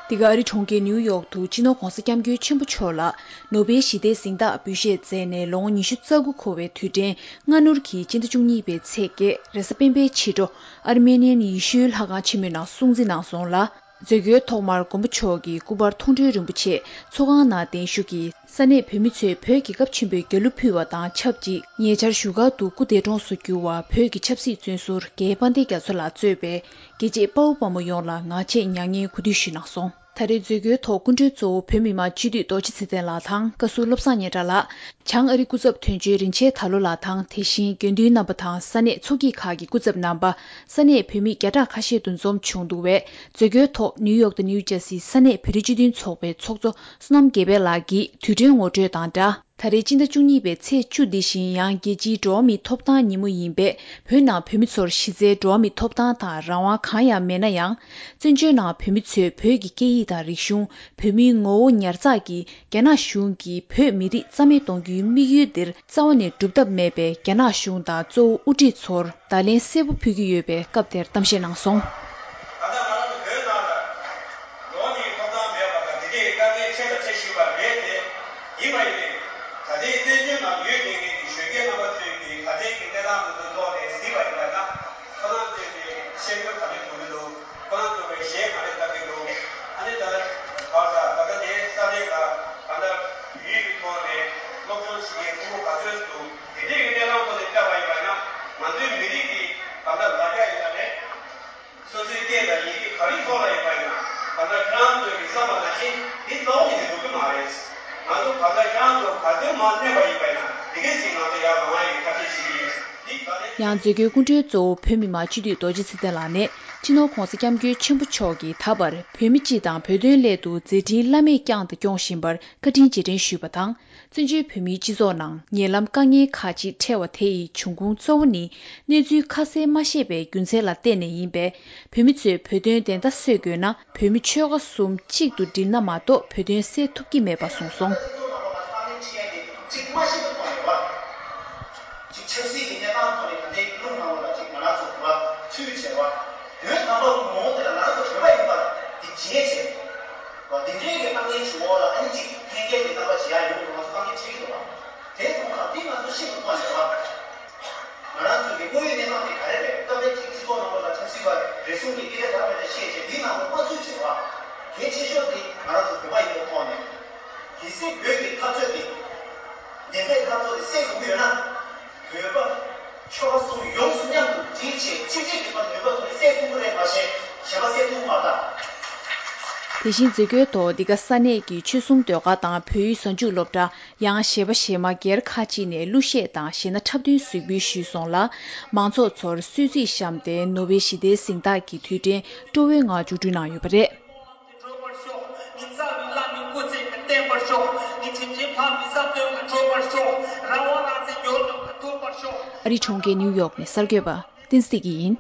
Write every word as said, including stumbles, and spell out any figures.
འདི་ག་ཨ་རི་གྲོང་ཁྱེར་ནིའུ་ཡོག་ཏུ་སྤྱི་ནོར་༧གོང་ས་༧སྐྱབས་མགོན་ཆེན་པོ་མཆོག་ལ་ནོ་བེལ་ཞི་བདེའི་གཟེངས་རྟགས་འབུལ་བཞེས་མཛད་ནས་ལོ་ངོ་ཉི་ཤུ་རྩ་དགུ་འཁོར་བའི་དུས་དྲན་སྔ་སྣུར་གྱིས་སྤྱི་ཟླ་བཅུ་གཉིས་པའི་ཚེས་བརྒྱད་རེས་གཟའ་སྤེན་པའི་ཕྱི་དྲོ་ཨར་མེ་ནི་ཡན་ཡེ་ཤུའི་ལྷ་ཁང་ཆེན་མོའི་ནང་སྲུང་བརྩི་གནང་སོང་ལ། མཛད་སྒོའི་ཐོག་མར་མགོན་པོ་མཆོག་གིས་སྐུ་པར་མཐོང་གྲོལ་རིན་པོ་ཆེ་ཚོགས་ཁང་ནང་གདན་ཞུ་གིས་ས་གནས་བོད་མི་ཚོས་བོད་ཀྱི་སྐབས་ཆེན་པོའི་རྒྱལ་གླུ་ཕུལ་བ་དང་ཆབས་ཅིག་ཉེ་ཆར་བཞུགས་སྒར་དུ་སྐུ་འདས་གྲོངས་སུ་གྱུར་བ་བོད་ཀྱི་ཆབ་སྲིད་བཙོན་ཟུར་རྒན་དཔལ་ལྡན་རྒྱ་མཚོ་ལགས་གཙོས་པའི་རྒྱལ་གཅེས་དཔའ་བོ་དཔའ་མོ་ཡོངས་ལ་ངག་བཅད་མྱ་ངན་གུས་འདུད་ཞུས་གནང་སོང་། ད་རེས་མཛད་སྒོའི་ཐོག་སྐུ་མགྲོན་གཙོ་བོ་བོད་མི་མང་སྤྱི་འཐུས་རྡོ་རྗེ་ཚེ་བརྟན་ལགས་དང་བཀའ་ཟུར་བློ་བཟང་སྙན་གྲགས་ལགས། བྱང་ཨ་རི་སྐུ་ཚབ་དོན་གཅོད་རིན་ཆེན་དར་ལོ་ལགས་དང་དེ་བཞིན་དགེ་འདུན་རྣམ་པ་དང་ས་གནས་ཚོགས་སྐྱིད་ཁག་གི་སྐུ་ཚབ་རྣམ་པ། ས་གནས་བོད་མི་བརྒྱ་ཕྲག་ཁ་ཤས་འདུ་འཛོམས་བྱུང་འདུག་པས། མཛད་སྒོའི་ཐོག་ནིའུ་ཡོག་དང་ནིའུ་ཇར་སིའི་ས་གནས་བོད་རིགས་སྤྱི་མཐུན་ཚོགས་པའི་ཚོགས་གཙོ་བསོད་ནམས་དགེ་འཕེལ་ལགས་ཀྱིས་དུས་དྲན་ངོ་སྤྲོད་དང་སྦྲགས། ད་རེས་སྤྱི་ཟླ་བཅུ་གཉིས་པའི་ཚེས་བཅུ་འདི་བཞིན་ཡང་རྒྱལ་སྤྱིའི་འགྲོ་བ་མིའི་ཐོབ་ཐང་ཉིན་མོ་ཡིན་པས། བོད་ནང་བོད་མི་ཚོར་གཞི་རྩའི་འགྲོ་བ་མིའི་ཐོབ་ཐང་དང་རང་དབང་གང་ཡང་མེད་ན་ཡང་། བཙན་བྱོལ་ནང་བོད་མི་ཚོས་བོད་ཀྱི་སྐད་ཡིག་དང་རིག་གཞུང་། བོད་མིའི་ངོ་བོ་ཉར་ཚགས་ཀྱིས་རྒྱ་ནག་གཞུང་གིས་བོད་མི་རིགས་རྩ་མེད་གཏོང་རྒྱུའི་དམིགས་ཡུལ་འདིར་རྩ་བ་ནས་འགྲུབ་ཐབས་མེད་པས། རྒྱ་ནག་གཞུང་དང་གཙོ་བོ་དབུ་ཁྲིད་ཚོར་བརྡ་ལན་གསལ་པོ་ཕུལ་གྱི་ཡོད་པའི་སྐབས་དེར་གཏམ་བཤད་གནང་སོང་། ད་ལྟ་ང་རང་ཚོ་བོད་ནང་ལ་འགྲོ་བ་མིའི་ཐོབ་ཐང་མེད་པ་དང་དེ་འདྲའི་དཀའ་ངལ་འཕྲད་དང་འཕྲད་བཞིན་པ་རེད་དེ། ཡིན་པ་ཡིན་ནའི་ད་ལྟའི་བཙན་བྱོལ་ནང་ཡོད་བསྡད་མཁན་གྱི་གཞོན་སྐྱེས་རྣམ་པ་ཚོས་ཀྱི་ད་ལྟའི་གི་གནས་སྟངས་དེ་ཚོའི་ཐོག་ནས་གཟིགས་པ་ཡིན་པ་ན། ཁོ་རང་ཚོས་ཀྱི་ཤེས་ཡོན་ག་འདྲ་ཐོབ་ཀྱི་འདུག་ཁོ་རང་ཚོ་གི་གཞས་ག་འདྲ་བཏང་གི་འདུག་ཨ་ནི་ད་བར་ད་ད་ལྟ་དེ་ས་གནས་ལ་ག་འདྲ་ཡུལ་གྱི་ཐོག་ནས་སློབ་སྦྱོང་བྱེད་མཁན་ཕྲུ་གུ་ག་ཚོད་འདུག་དེ་འདྲའི་གི་གནས་སྟངས་ཐོག་ནས་བལྟས་པ་ཡིན་པ་ན། ང་ཚོའི་མི་རིགས་ཀྱི་ག་འདྲ་ལ་རྒྱ་ཡིན་པ་རེད། སོ་སོའི་སྐད་དང་ཡི་གེ་ག་རེའི་ཐོག་ལ་ཡོད་པ་ཡིན་ན། གང་ལྟར་ཁྱེད་རང་ཚོས་མི་བསམ་པ་ནང་བཞིན་འདི་རྩ་བ་ནས་འགྲུབ་ཀྱི་མ་རེད། ང་ཚོ་གང་ལྟར་ཁྱེད་རང་ཚོ་ག་དུས་མ་གནས་པ་ཡིན་པ་ཡིན་ན་དེ་གས་ཅིག་ང་ཚོ་ཡར་ལངས་ཡ་ཡི་ཐབས་ཤེས་བྱེད་ཀྱི་ཡིན། འདི་ག་རེ། ཡང་མཛད་སྒོའི་སྐུ་མགྲོན་གཙོ་བོ་བོད་མི་མང་སྤྱི་འཐུས་རྡོ་རྗེ་ཚེ་བརྟན་ལགས་ནས་སྤྱི་ནོར་༧གོང་ས་༧སྐྱབས་མགོན་ཆེན་པོ་མཆོག་གིས་ད་བར་བོད་མི་སྤྱི་དང་བོད་དོན་སླད་དུ་མཛད་འཕྲིན་བླ་མེད་བསྐྱངས་དང་སྐྱོང་བཞིན་པར་བཀའ་དྲིན་རྗེས་དྲན་ཞུས་པ་དང་། བཙན་བྱོལ་བོད་མིའི་སྤྱི་ཚོགས་ནང་ཉེ་ལམ་དཀའ་ངལ་ཁག་ཅིག་འཕྲད་པ་དེ་ཡི་འབྱུང་ཁུངས་གཙོ་བོ་ནི་གནས་ཚུལ་ཁ་གསལ་མ་ཤེས་པའི་རྒྱུ་མཚན་ལ་བརྟེན་ནས་ཡིན་པས། བོད་མི་ཚོས་བོད་དོན་བདེན་མཐའ་གསལ་དགོས་ན་བོད་མི་ཆོལ་ཁ་གསུམ་གཅིག་ཏུ་སྒྲིལ་ན་མ་གཏོགས་བོད་དོན་སེལ་ཐུབ་ཀྱི་མེད་པ་གསུངས་སོང་། ཅིག་མ་ཤེས་པའི་ཐོག་ནས་བ། ཅིག་ཆབ་སྲིད་ཀྱི་གནས་སྟངས་ཐོག་ནས་ད་ལྟའི་ཀླུ་ནང་ལོགས་ལ་ཅིག་ང་རང་ཚོ་བ་ཚུད་བྱས་བ། བོད་དམ་པ་ངོ་བོ་དེ་ལ་ང་རང་ཚོ་བོད་པ་ཡིན་པ་དེ་བརྗེད་བྱས། བ་འདི་འདྲའི་གི་དཀའ་ངལ་གྱི་འོག་ལ་ཨ་ནི་ཅིག་ལྷན་རྒྱས་ཀྱི་རྣམ་པ་ཇི་ཡང་ཡོང་དུས་ང་ཚོ་དཀའ་ངལ་འཕྲད་ཀྱི་འདུག་བ། དེ་ཚོ་ཁག་འདི་ང་ཚོ་ཤེས་པའི་ཐོག་ནས་བ། ང་རང་ཚོའི་གི་དངོས་ཡོད་གནས་སྟངས་དེ་ག་རེ་རེད། སྐབས་རེ་ཅིག་སྤྱི་ཚོགས་ནང་ལོགས་ལ་ཆབ་སྲིད་པ་རེ་ཟུང་གིས་སྐད་ཆ་དག་མེད་ལ་བཤད་བྱས་འདིའི་ནང་ལ་མ་ཚུད་བྱས་བ། གལ་ཆེ་ཤོས་དེ་ང་རང་ཚོ་བོད་པ་ཡིན་པའི་ཐོག་ནས། གལ་སྲིད་བོད་ཀྱི་འཐབ་རྩོད་དེ་བདེན་པའི་འཐབ་རྩོད་དེ་སེལ་དགོས་ཀྱི་ཡོད་ན། བོད་པ་ཆོལ་ཁ་གསུམ་ཡོངས་སུ་མཉམ་དུ་སྒྲིལ་བྱས་གཅིག་སྒྲིལ་གྱི་ཐོག་ནས་ནུས་པ་ཐོན་ནས་སེལ་ཐུབ་ཀྱི་རེད་མ་ཤེས་གཞན་པ་སེལ་ཐུབ་ཀྱི་མ་རེད་ད། དེ་བཞིན་མཛད་སྒོའི་ཐོག་འདི་ག་ས་གནས་ཀྱི་ཆོལ་གསུམ་ཟློས་གར་དང་བོད་ཡིག་གཟའ་མཇུག་སློབ་གྲྭ། ཡང་གཞས་པ་གཞས་མ་སྒེར་ཁག་ཅིག་ནས་གླུ་གཞས་དང་གཞས་སྣ་འཁྲབ་སྟོན་གཟིགས་འབུལ་ཞུས་སོང་ལ། མང་ཚོགས་ཚོར་གསོལ་ཚིགས་བཤམས་ཏེ་ནོ་བེལ་ཞི་བདེའི་གཟེངས་རྟགས་ཀྱི་དུས་དྲན་སྤྲོ་བོའི་ངང་མཇུག་སྒྲིལ་གནང་ཡོད་པ་རེད། ཨ་རིའི་གྲོང་ཁྱེར་ནིའུ་ཡོག་ནས་གསར་འགོད་པ་བསྟན་འཛིན་བདེ་སྐྱིད་ཡིན།